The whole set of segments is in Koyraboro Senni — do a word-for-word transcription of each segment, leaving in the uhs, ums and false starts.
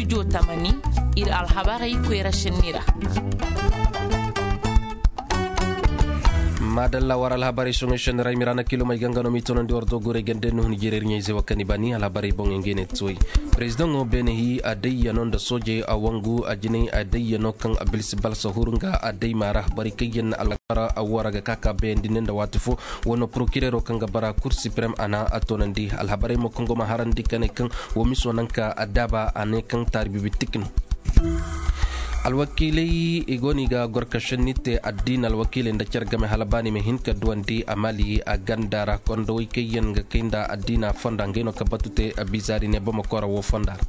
Tamani, ir alhabarey koyra senni ra. Maadalla war alhabarey soŋey senni ra i ma ra na kilomey ganga no m'i toonandi war doogurey gande nuhun jirer ɲayze wa kani bani alhabarey boŋey ngey ne ti way. Perezidaŋo beene hi a dayyano nda soojey a wangu a jinay a dayyano kaŋ a bilsi balsa huru nga a dayma ra borey kaŋ yaŋ na alkara a woo ra ga ka ka bayandi ne nda waati fo. Wano porokirero kaŋ ga bara kur siprem a na a toonandi alhabarey mo kaŋ go ma harandi ka ne kaŋ woo miso naŋ ka a daaba a ne kaŋ taari bibi tik no. Alwakiiley i go no i ga gor ka senni te addiina alwakiiley nda care game hala ba ni ma hin ka duwandi a mali a ganda ra kondowey kaŋ yaŋ ga kay nda addiina fonda ngey no ka batu te a bizaari ne bamako ra woo fonda ra.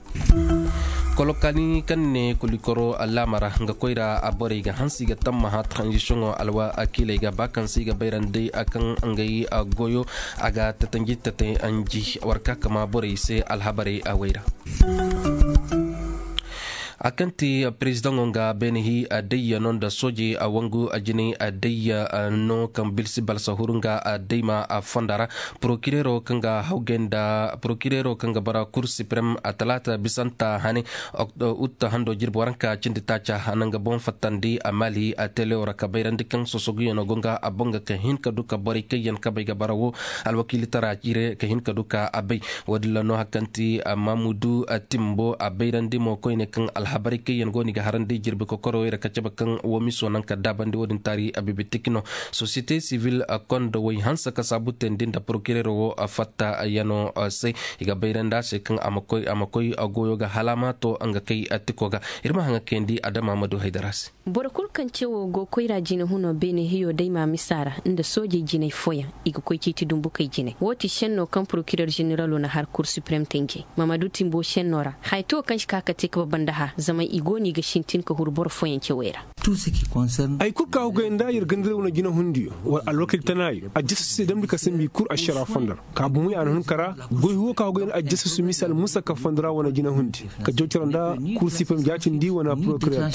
Kolokani kaŋ ne kulikoro laama ra nga koyra a borey ga hanse i ga tammaha tranzisiyoŋo alwakiiley ga ba kaŋ se i ga bayrandi a kaŋ ngey goyo a ga tatanji tatay anji war ka kama borey se alhabarey a wayra. A kaŋ ti perezidaŋo nga beene hi a dayya no nda soojey a wangu a jinay a dayya no kaŋ bilsi balsa huru nga a dayma a fonda ra. Porokirero kaŋ ga hawgay nda porokirero kaŋ ga bara kur siprem a talaata bisanta hane. Utta hando jirbi waranka cindi taaca a na nga boŋ fattandi a mali a telewo ra ka bayrandi kaŋ sosoguyaŋo go nga a boŋ ga ka hin ka du ka borey kaŋ yaŋ kabey ga bara wo. Alwakiilitara cire ka hin ka du ka a bay. Woodin ra no hari kaŋ ti mamudu timbo a bayrandi mo koyne kaŋ alhabarey kaŋ yaŋ go no i ga harandi jirbi kokorowey ra ka cabe kaŋ woo miso naŋ ka daabandi woodin taari a bibitik no. Sosiyete sivil kondo way hanse ka saabu teendi nda porokirero wo fatta yaŋo se. I ga bayrandi a se kaŋ a ma koy a ma koy goyo ga hala a ma to nga kay tiko ga. Ir ma haŋa kayandi adama ma du haydara se. Boro kul kaŋ ce wo go koyra jine huno beene hiyo day ma misa ra nda soojey jinay fooyaŋ i ga koy ciiti dumbukey jinay wo ti šenno kaŋ porokirer ženeralo na har kur siprem tenjey mamadu timbo šenno ra haya to kaŋ si ka ka te ka babanda hã zama i go no i ga sintin ka huru boro fooyaŋ cewey ra. Ay kul ka hugay nda yer gandiraw na jine hundiyo wala alwakil tanaayo a jasa se damndi ka sambi kur ašara fondar. Ka bumey a na hun kara goy huwo ka go yen ajjasasu misal musa ka fondara wane jina hundi ka jawcara nda kur siprem jaatindi wane porokirer.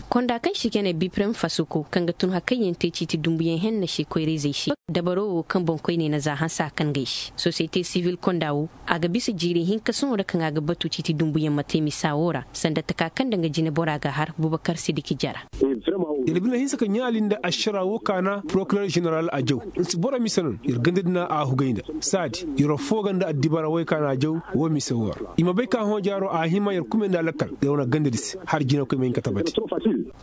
Konda kaŋ si kene biprem fasuko kaŋ ga tun hakayyaŋ te ciiti dumbuyaŋ henna se koyra-izey se dabaro wo kaŋ boŋkoyney na za hanse a kaŋ gay se sosiyete sivil konda wo a ga bisa jiiri hinka sohõ ra kaŋ a ga batu ciiti dumbuyaŋ ma te misa wo ra sanda taka kaŋ nda nga jine bora ga har bubakar sidiki jara. Yer bine hinsa ka ɲaali nda ašara wo kaana porokirer ženeral a jaw. Nsi boro mise no yer ganda dina a hugay nda saadi yer affoo ga nda addibara woy kaana jaw. Wo mise wo ra i ma bay ka hõ jaaro a hima yer kume nda alakal yer wane ganda di se har jinakoy ma hin ka tabati.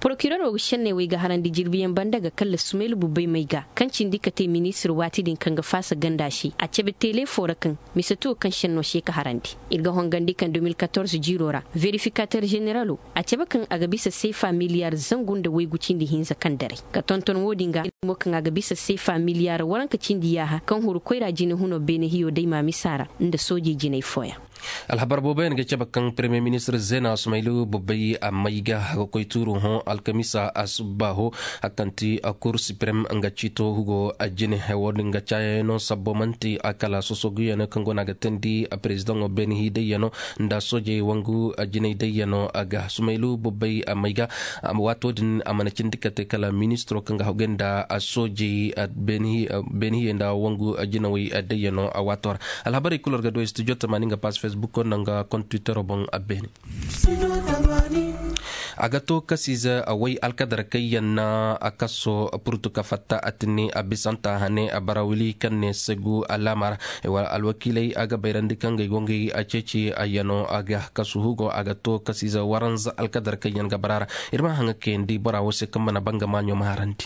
Porokirero ga šenney wey ga harandi jirbiyaŋ banda ga kalla sumaylu bubbay may ga kaŋ cindi ka te ministir waati din kaŋ ga faasa ganda se a cabe teele foo ra kaŋ mise to kaŋ šenno se ka harandi ir ga hongandi kaŋ deux mille quatorze jiiro ra verifikater ženeralo a cabe kaŋ a ga bisa seefa miliyar zangu nda waygu cindi hinza kaŋ daray ka tonton wo-din ga mo kaŋ a ga bisa seefa miliyar waranka cindi yaaha kaŋ huru koyra jine huno beene hiyo day ma misa ra nda soojey jinay fooyaŋ. Alhabar booboyaŋ ga cabe kaŋ peremiye ministir zeena sumaylu bobbay a may ga a ga koy tuuru hõ alkamisa a subba ho a kaŋ ti a kur siprem nga ciito hugo a jine wo-din ga caayayaŋo sabbo man'ti a kala sosoguyaŋo kaŋ go no a ga teendi a perezidaŋo beene hi dayyano nda soojey wangu jinay dayyano a ga sumaylu bobbay a may ga. Waato din a mana cindi ka te kala ministiro kaŋ ga hawgay nda soojey beene hiyey nda wangu jinawey dayyano a waato ra. Alhabarey kul war ga du ay studio tamaani nga paas fesbuko nda nga kont twittero boŋ a beene. A ga to kasiize way alkadar kaŋ yaŋ na a kaso purtu ka fatta a tinni a bisanta hane a bara wili kaŋ ne segu alaama ra. Wala alwakiiley a ga bayrandi kaŋ gay go ngey a ceeci a yano a ga kasu hugo a ga to kasiize waranza alkadar kaŋ yaŋ ga bara ra. Ir ma haŋa kayandi bora wo se kaŋ mana banga maaɲo ma harandi.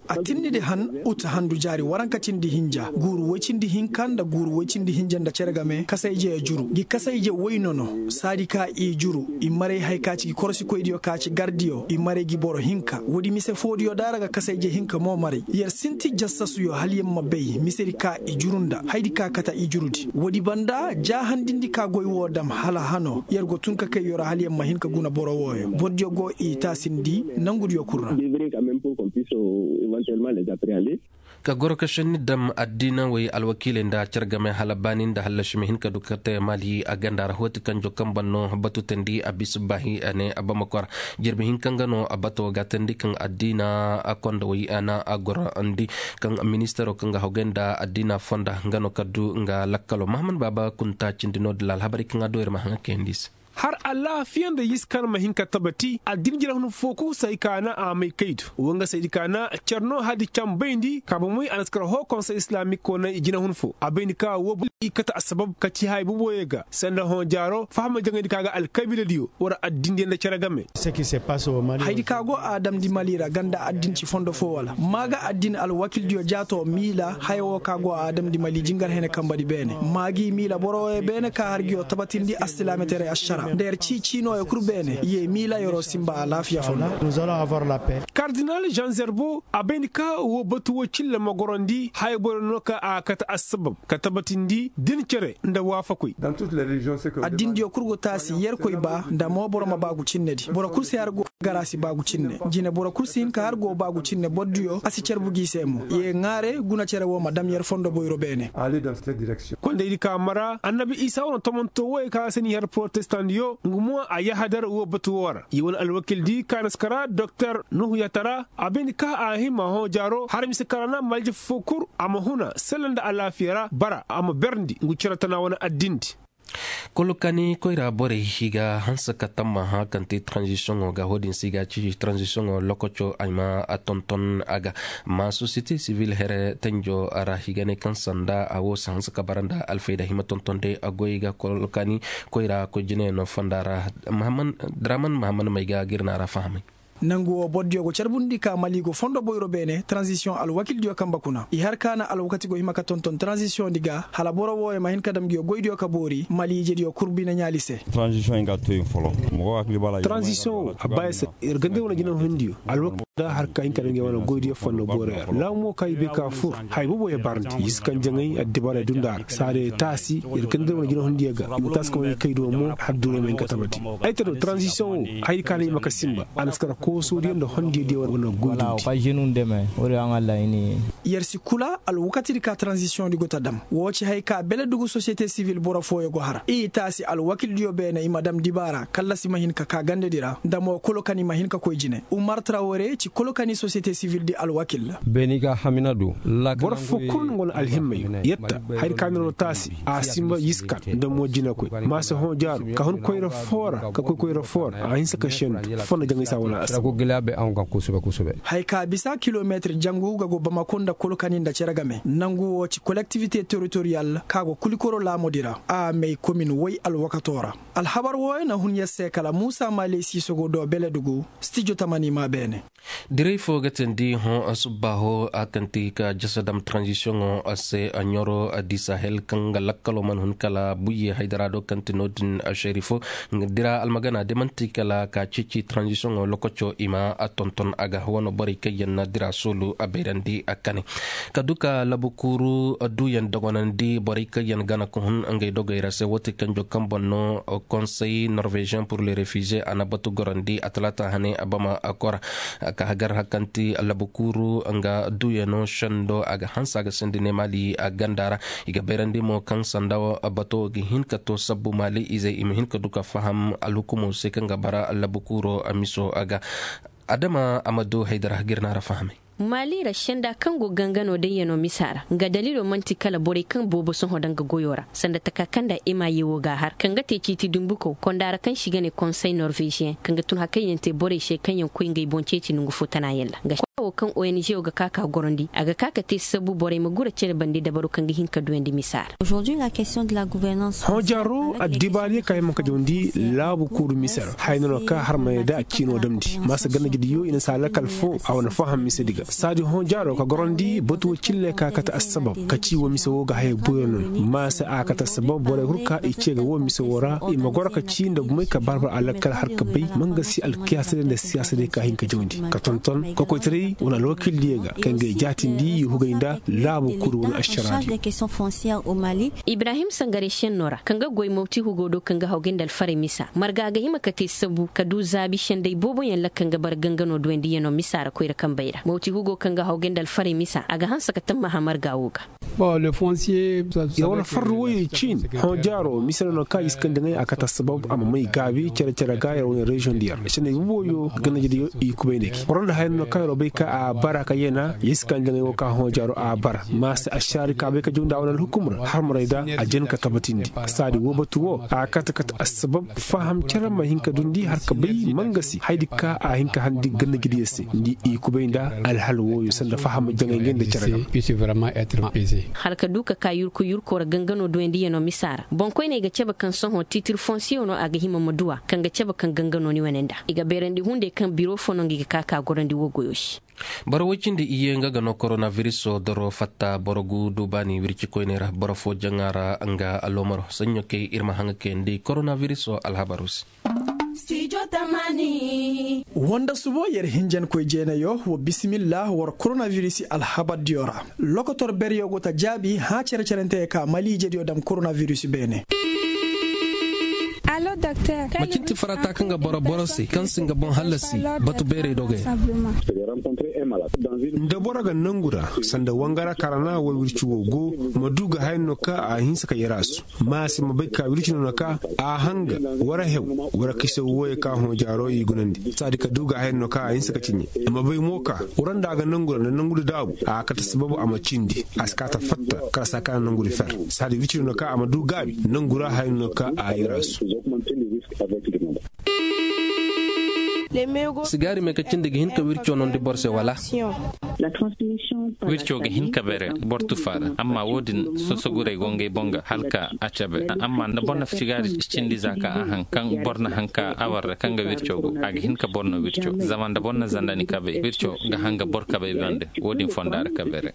A tinni di han uta handu jaari waranka cindi hinja guuru woy cindi hinka nda guuru woy cindi hinja nda cere game kasayje juru gi kasayje woy nono saadi ka i juru i maray hay ka ci gi korosikoydiyo ka ci gardiyo i maray gi boro hinka woodi mise foodiyo da ra ga kasayje hinka mo maray yer sinti jassasuyo hala yer ma bay misedi ka i juru nda haydi ka kate i jurudi woodi banda jaahandindi ka goy woo dam hala hano yer go tun ka kay yer hala yer ma hin ka guna boro wooyo bordiyo go i taasindi nangudiyo kul ra. Ka goro ka šenni dam addiina wey alwakiiley nda cere game hala baani nda hallasi ma hin ka du ka te maali a ganda ra hooti kanjo kaŋ ban no batu tandi a bisa baahi a ne a bama kora. Jirbi hinka nga no a bato ga tandi kaŋ addiina a konda wey a na a gorondi kaŋ ministaro kaŋ ga hogay nda addiina fonda nga no ka du nga lakkalo mahaman baaba kunta cindi no dila alhabari kaŋ a do ir ma haŋa kayandi se. Har alaafiya nda yiskan ma hin ka tabati addin jina hun fo kul se ay ka na a may kay do. Wanga se ay ka na cer no hadi cambayndi ka ba moy a na si kar hoo konsey islamik ko na i jina hun fo a bayndi ka woo boro i kate assabab ka ci haya boboyo ga sanda hõ jaaro fahama jaŋayndi ka ga alkabiiladiyo war addindiyo nda cere game. Haydi ka go a damndi mali ra ganda addin ci fondo fo wala maa ga addin alwakildiyo jaato miila haya woo ka go a damndi mali jingar hene kambadi beene maa gi miila boro wooyo beene ka har ngiyo tabatindi assilaametaray ašara nda yer cii ciinooyo kul beene ye miila yeroo sinba alaafiya fondo. Kardinal jean zerbo a bay ni ka woo batu woo cille ma gorandi haya boro no ka a kate assabab ka tabatindi din cere nda waafakoy. Addindiyo kul go taasi yerkoy ba nda mo boro ma baagu cinnedi boro kul si har go gara si baagu cinne jine boro kul si hin ka har go baagu cinne bordiyo a si carbu gi se mo ye ŋaare guna cere woo ma dam yer fondo boyro beene. Kondaydi ka mara annabi isa wane tomonto wooyo ka se ni har porotestandiyo nga mo a yahadar woo batu woo ra ye wane alwakildi ka na si kara doktor nuhu yatara a bay ni ka a hima hõ jaaro har mise ka ra na malje fo kul a ma huna sella nda alaafiya ra bara a ma berndi ngu cere tana wane addindi. Kulu kaani koyra borey i ga hanse ka tammaha kaŋ te taranzisiyoŋo ga wo-din se i ga ci taranzisiyoŋo lokoco ay ma a tonton a ga ma sosiyete sibil here tenjo ra i ga ne kaŋ sanda a wo si hanse ka bara nda alfayda i ma tonton day a goy ga kulu kaani koyra koy jinayaŋo fonda ra. Draman mahammad may ga ga ir na ra fahamay. Nangu wo bordiyo go carbundi ka mali go fondo boyro beene taranzisiyoŋ alwakildiyo kambe kuna i har ka na alwakati go hima ka tonton taranzisiyoŋ di ga hala boro wooyo ma hin ka dam nguyo goydiyo ka boori mali ijediyo kul bine ɲaali se. Taranzisiyoŋ wo a ba ya se ir ga nda ir wane jinahundiyo alwakati nda har ka hin ka dam nguyo wane goydiyo fondo booroyo ra laamu mo ka i bay ka fur haya boobo ya barndi i si kaŋ jaŋay addibaray dunda ra saadiyo taasi ir ga nda ir wane jinahundiyo ga i ma taasi ka wane kay do mo har duray ma hin ka tabati. Ay ta do taranzisiyoŋ wo hayadi ka na i ma ka sinba a na si kara koosoodiyo nda hondiyo diyo wane goydundi. Yer si kula alwakatidi ka taranzisiyoŋdi go ta dam woo ci haya ka beledugu sosiyete sibil boro fooyo go har i taasi alwakildiyo beene i ma dam dibaara kallasi ma hin ka kaa gandedi ra nda mo kolo kaŋ i ma hin ka koy jine umar trawore ci kolo kaŋ i sosiyete sibildi alwakil. Boro foo kul nga wane alhimmayo yetta hayadi ka na no taasi a sinba yiskan nda mo jinakoy ma se hõ jaaru ka hun koyra foo ra ka koy koyra foo ra a hinsa ka sendu fonda jaŋay se a wane a se. Haya ka bisa kilometir jangu ga go bamako nda kulu kaŋ i nda cere game nangu woo ci kolektivite teritoriyal ka go kulikoro laamudi ra a may komin woy alwakato ra. Alhabar wooyo na hun yer se kala muusa maaley siisogo do beledugu stijo tamani maa beene. Diray fo ga teendi hõ subbaaho a kaŋ ti ka jasa dam taranzisiyoŋo se ɲoro di sahel kaŋ ga lakkalo mana hun kala buyye haydara do kaŋ ti no-din šerifo dira almagana de man'ti kala ka ceeci taranzisiyoŋo lokoco i ma a tonton a ga wane borey kaŋ yaŋ na dira soolu a bayrandi a kane. Ka du ka labukuuru duuyaŋ dogonandi borey kaŋ yaŋ gana ka hun ngey dogey ra se woo ti kanjo kaŋ boŋ no konsey norveziyeŋ pur le refiziye a na batu gorandi a talaata hane a bama a kora. Ka hagar hakanti labukuuru nga duuyano sendo a ga hanse a ga sindi ne maali a ganda ra. I ga bayrandi mo kaŋ sanda bato ga hin ka to sabbu maali izey i ma hin ka du ka faham alhukumo se kaŋ ga bara labukuuro miso a ga. Adama a ma du haydara ga ir na ra fahamay. Maali ra senda kaŋ go gangano dayyano misa ra nga daliilo man'ti kala borey kaŋ boobo sohõ daŋ ga goyo ra sanda taka kaŋ nda ema ye wo ga a har kaŋ ga te ciiti dumbuko konda ra kaŋ se i ga ne konsey norveziyeŋ kaŋ ga tun hakayyaŋ te borey se kaŋ yaŋ koy ngey boŋ ceeci nongu fo tana yaŋ ra nga se kwaawo kaŋ ong wo ga ka ka gorandi a ga ka ka te sabu borey ma gura cere bande dabaru kaŋ ga hin ka duyandi misa ra. Hõ jaaro addibaariyo ka hima ka jawndi laabu kuuru mise ra haya no no ka har ma yadda a ciino damndi maasa ganda jediyo i na si a lakal fo a wane faham misedi ga saadi hõ jaaro ka gorandi batu wo cille ka kate assabab ka ci wo mise wo ga haya boyo no maasa a kate assabab borey hurka i ce ga wo mise wo ra i ma goro ka ci nda gumay ka barbar a lakal har ka bay mangasi alkiyaasadiyo nda siyaasadey ka hin ka jawndi ka tonton ka koytaray. Wane alwakiil diyo ga kaŋ ga ay jaatindi i hugay nda laabu kul wane ašaraadiyo. Ibrahim sangarey šennoo ra kaŋ ga goy mawti hugo do kaŋ ga haw ga nda alfaray misa marga a ga hima ka te sabu ka du zaabi senday booboyaŋ lakka nga bara ganganoo duwayndi yano misa ra koyra kambey ra mawti hugo kaŋ ga haw ga nda alfaray misa a ga hanse ka tammaha marga woo ga. Yer wane farru woyey ciin hõ jaaro mise no no ka i si kande ŋay a kate assabab a ma may gaabi cere-cere ga yer wane reziyoŋ diyo ra senday booboyo ga ganda jediyo i kubay nda gi war nda haya no no ka yer wo bay ka a bara ka yeena yer si kande ŋay wo ka hõ jaaro a bara ma se ašaari ka bay ka jaw nda a wane alhukum ra harmaray da a jen ka tabatindi. Saadi woo batu woo a kate kate assabab faham cere ma hin ka dundi har ka bay mangasi hayadi ka a hin ka handi ganda jediyo se nda i kubay nda alhal wooyo sanda faham jaŋay ngey nda cere ga. Hala ka du ka ka yurku yurko ra gangano duwayndi yano misa ra boŋkoyney ga cabe kaŋ sohõ tiitir fonsiyo no a ga hima ma duw'a kaŋ ga cabe kaŋ gangano ni wane nda i ga beerandi hunday kaŋ biro fo no nga i ga ka ka gorandi woo goyo se. Boro woy cindi iyye nga ga no koronabiriso doro fatta boro gu du baani wircikoyney ra boro fo jaŋa ra nga aloomaro saɲɲo kay ir ma haŋa kayandi koronabiriso alhabaru se. Wonda subo yer hinjankoy jeenayo wa bisimilla war koronabirisi alhabardiyo ra. Lokotor beryo go ta jaabi hã cere-cerentey ka maliijediyo dam koronabirisi beene. Macin ti farata kaŋ ga boro boro se kaŋ si nga boŋ hallasi batu beerey dogey. Nda boro ga nangu ra sanda wangara karana war wirci wo go ma du ga haya no ka a hinsa ka yarasu ma se ma bay ka wirci no no ka a hanga wara hew wara kise woye ka hõ jaaro i gunandi saadi ka du ga haya no ka a hinsa ka ciɲe. Ma bay mo ka wara nda a ga nangu ra nda nangu da daabu a kate sababu a ma cindi a si ka ta fatta kala sa ka nanguri fer saadi wirci no no ka a ma du gaabi nangu ra haya no no ka a yarasu. Sigaari me ka cindi ga hin ka wirco nondi boro se wala? Wirco ga hin ka bere boro tufa ra amma wo-din sosoguray go ngey boŋ ga hala ka a cabe amma nda boro na sigaari cindi za ka a haŋ kaŋ boro na haŋ ka a war ra kaŋ ga wirco go a ga hin ka boro no wirco zama nda boro na zanda ni kabey wirco ga haŋ ga boro kabey bande. Wo-din fonda ra ka bere.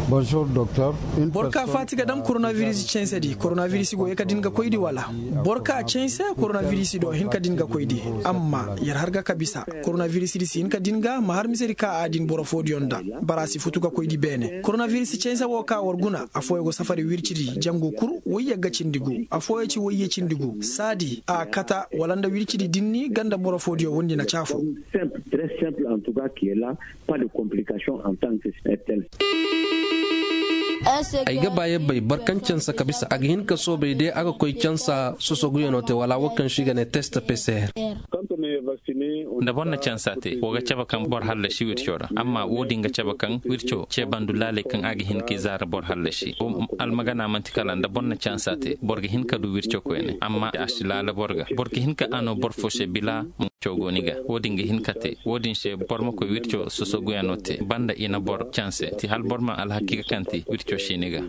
Boro ka faati ga dam koronabiris cansedi koronabiris go ye ka din ga koydi wala? Boro ka canse koronabiris do hin ka din ga koydi. Amma yer har ga ka bisa koronabiris di si hin ka din ga ma har misedi ka a din boro foodiyo nda bara si futu ga koydi beene koronabiris canse wo ka war guna afooyo go safari wircidi jangu kul woyye ga cindi gu afooyo ci woyye cindi gu saadi a kata wala nda wircidi dinni ganda boro foodiyo wondi na caafo. Simple très simple en tout cas qui est là. Pas de complication en tant que tel. Ay ga ba yabbay boro kaŋ cansa ka bisa a ga hin ka soobay de a ga koy cansa sosoguyanoo te wala wo kaŋ se i ga ne test pcr. Nda boro na cansa te wo ga cabe kaŋ boro hallasi wirco ra amma wo-din ga cabe kaŋ wirco ceebandu laaley kaŋ a ga hin ka i zaara boro hallasi. Almagana man'ti kala nda boro na cansa te boro ga hin ka du wirco koyne amma a si laala boro ga boro ga hin ka a no boro fo se bila. Wirco go ni ga wo-din ga hin ka te wo-din se boro ma koy wirco sosoguyanoo te banda i na boro canse ti hala boro ma alhakiika kaŋ ti wirco si ni ga.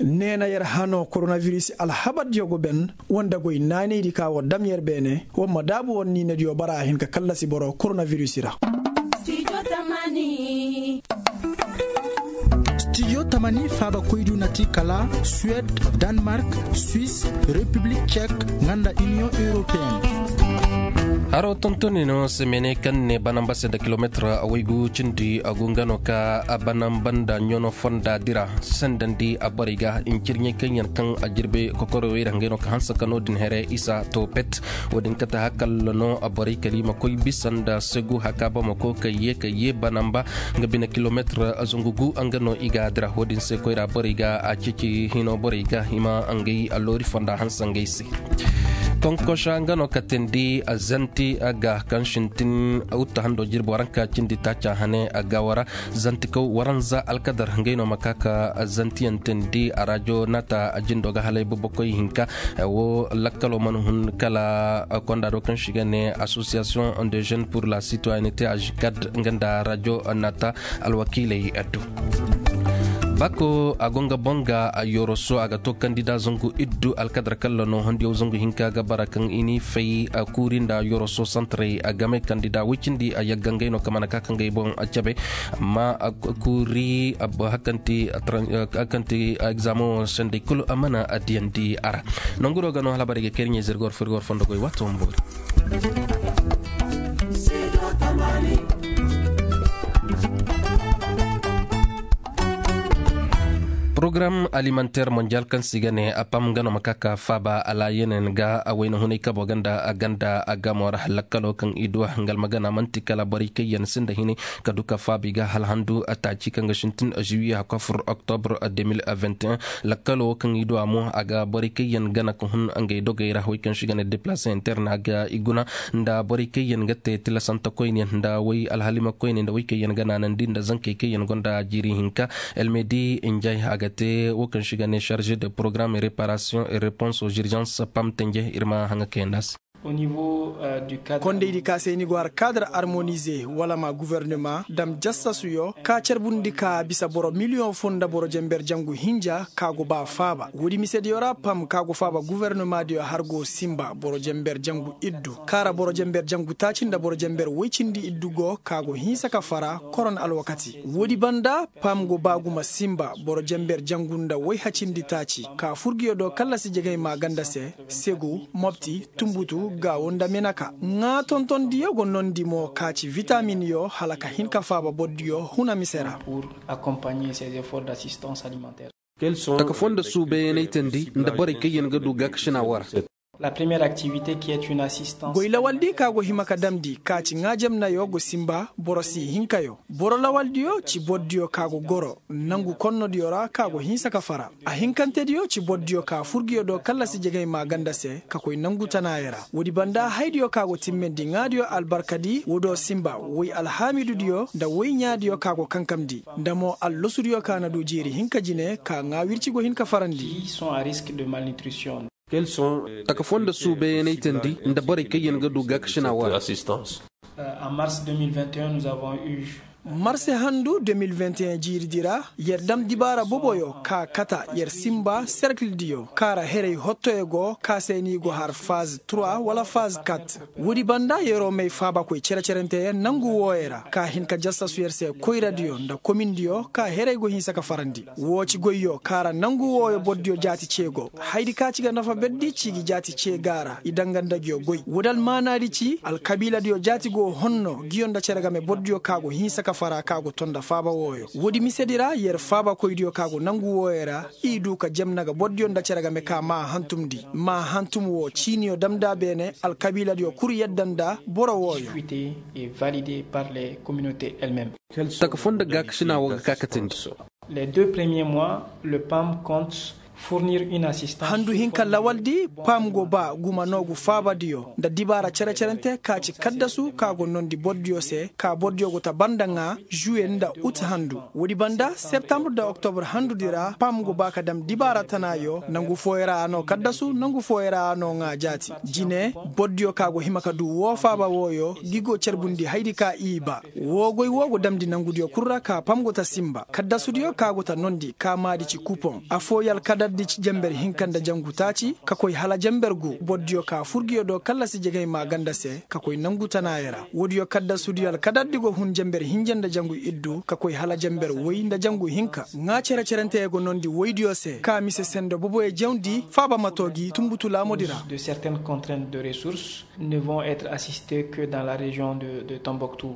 Neena yer hano koronabiris alhabardiyo go ben wanda goy naanaydi ka war dam yer beene war ma daabu war niinadiyo bara a hin ka kallasi boro koronabiris ra. Studio tamani faabakoydu na ti kala suwed, danemark, swis, repiblik cek, nga nda iniyoŋ europeen. Haro tontoni no semene kaŋ ne banamba se nda kilometir waygu cindi a go nga no ka banamba nda ɲono fonda dira sendandi a borey ga ncirɲey kaŋ yaŋ kaŋ a jirbe kokoro wayra ngey no ka hanse ka no- din here isa to pet. Wo-din kate hakalla no borey kala i ma koy bisa nda segu haka bamako ka ye ka ye banamba nga bine kilometir zangu gu nga no i ga dira wo-din se koyra borey ga a ceeci hino borey ga i ma ngey alloori fonda hanse ngey se. Tonkosa nga no ka teendi zanti ga kaŋ sintin wutta hando jirbi waranka cindi taaca hane ga wara. Zantikaw waranza alkadar ngey no ma ka ka zantiyaŋ teendi a rajo naata a jindo ga halay bobokoy hinka. Wo lakkalo mana hun kala konda do kaŋ se i ga ne association de jeunes pour la citoyenneté ajikad nga nda rajo naata alwakiiley addu. Bako a go nga boŋ ga a yoroso a ga to kandida zangu iddu alkadar kalla no hondiyaw zangu hinka ga bara kaŋ i n'i fay a kuuri nda yoroso santaray a game kandida woy cindi a yagga ngey no ka mana ka ka ngey boŋ a cabe. Amma a kuuri a ba hakanti a tran- a hakanti a egzaameŋo sendey kulu a mana a diyandi a ra. Nangu do ga no hala bara i ga kay iri ɲey zirgor firgor fondo goy waato ma boori. Porogaram alimanteer monjal kaŋ se i ga ne a pam nga no ma ka ka faaba alaayaney ga a wayna hunay kabo ganda a ganda a gamo ra lakkalo kaŋ i du a nga almagana man'ti kala borey kaŋ yaŋ sinda hinay ka du ka faaba i ga hala handu taaci kaŋ ga sintin juwiye hakko fur oktobur. Lakkalo wo kaŋ i du a mo a ga borey kaŋ yaŋ gana ka hun ngey dogey ra wey kaŋ se i ga ne deplaase interna ga i guna nda borey kaŋ yaŋ ga te tilasante koyne nda wey alhalima koyne nda wey kaŋ yaŋ ga naanandi nda zankey kaŋ yaŋ gonda jiiri hinka. Elmedi njay a ga te wo kaŋ se i ga ne charge de programme et réparation et réponse aux urgences pam tenje ir ma haŋa kayandi a se. Kondaydi ka se ni go har kaadar armonize wala ma guvernema dam jassasuyo ka carbundi ka bisa boro miliyoŋ fo nda boro jenber jangu hinja ka go ba faaba woodi misediyo ra pam ka go faaba guvernema diyo har go sinba boro jenber jangu iddu kaara boro jenber jangu taaci nda boro jenber woy cindi iddu go ka go hinsa ka fara koron alwakati. Woodi banda pam go ba gumo sinba boro jenber jangu nda woy hacindi taaci ka furgiyo do kallasi jegey maaganda se, segu, mopti, tunbutu, gaawo nda menaka. Ŋaa tontondiyo go nondi mo ka ci vitaminyo hala ka hin ka faaba bordiyo huna mise ra. Taka foo nda suubayanaytandi nda borey kaŋ yaŋ ga du gaakasina woo ra. Goy lawaldi ka go hima ka damndi ka ci ŋaa jamnayo go sinba boro si hinkayo. Boro lawaldiyo ci bordiyo ka go goro nangu konnodiyo ra ka go hinsa ka fara. Ahinkantediyo ci bordiyo ka furgiyo do kallasi jegey maaganda se ka koy nangu tanaayo ra. Woodi banda haydiyo ka go timmendi ŋaadiyo albarkadi woodiyo sinba woy alhaamidudiyo nda woy ɲaadiyo ka go kankamndi nda mo allosudiyo ka na du jiiri hinka jine ka ŋaa wirci go hin ka farandi. Taka foo nda suubayanaytandi nda borey kaŋ yaŋ ga du gaakasina woo ra. Marse handu de mil vingt et un jiiridi ra yer dam dibaara boboyo ka kata yer sinba serkildiyo kaara heray hottoyo go ka se ni go har faz trois wala faz kat. Woodi banda yeroo may faabakoy cere-cerenteyaŋ nangu wooyo ra ka hin ka jassasu yer se koyradiyo nda komindiyo ka heray go hinsa ka farandi. Woo ci goyyo kaara nangu wooyo bordiyo jaati cee go. Haydi ka ci ga nafa berdi ci gi jaati cee ga a ra i danga nda nguyo goy woodi almaanaadi ci alkabiiladiyo jaati go honno nguyo nda cere game bordiyo ka go hinsa ka fara ka go to nda faaba wooyo. Woodi misedi ra yer faabakoydiyo ka go nangu wooyo ra i du ka jamna ga bordiyo nda cere game ka maa hantumndi maa hantum woo ciiniyo damnda beene alkabiiladiyo kul yadda nda boro wooyo. Taka foo nda gaakasina woo ga kaakatandi. Les deux premiers mois le pam compte fournir une assistance. Handu hinka lawaldi pam go ba guma noogu faabadiyo nda dibaara cere-cerente ka ci kaddasu ka go noondi bordiyo se ka bordiyo go ta banda ŋaa juwe nda ut handu. Woodi banda septambre nda oktobur handudi ra pam go ba ka dam dibaara tanaayo nangu fooyo ra a noo kaddasu nangu fooyo ra a noo ŋaa jaati jine. Bordiyo ka go hima ka du woo faaba wooyo gi go carbundi haydi ka i ba. Woo goy woo go damndi nangudiyo kul ra ka pam go ta sinba kaddasudiyo ka go ta noondi ka maadi ci kupoŋ affooyo alkadardi ci jenber hinka nda jangu taaci ka koy hala jenber gu bordiyo ka furgiyo do kallasi jegey maaganda se ka koy nangu tanaayo ra woodiyo kaddasudiyo alkadardi go hun jenber hinja nda jangu iddu ka koy hala jenber woy nda jangu hinka. Ŋaa cere-cerenteyo go noondi woydiyo se ka mise sendo boboyo jawndi faaba ma too gi tunbutu laamudi ra. De certaines contraintes de ressources ne vont être assistés que dans la région de tombouctou.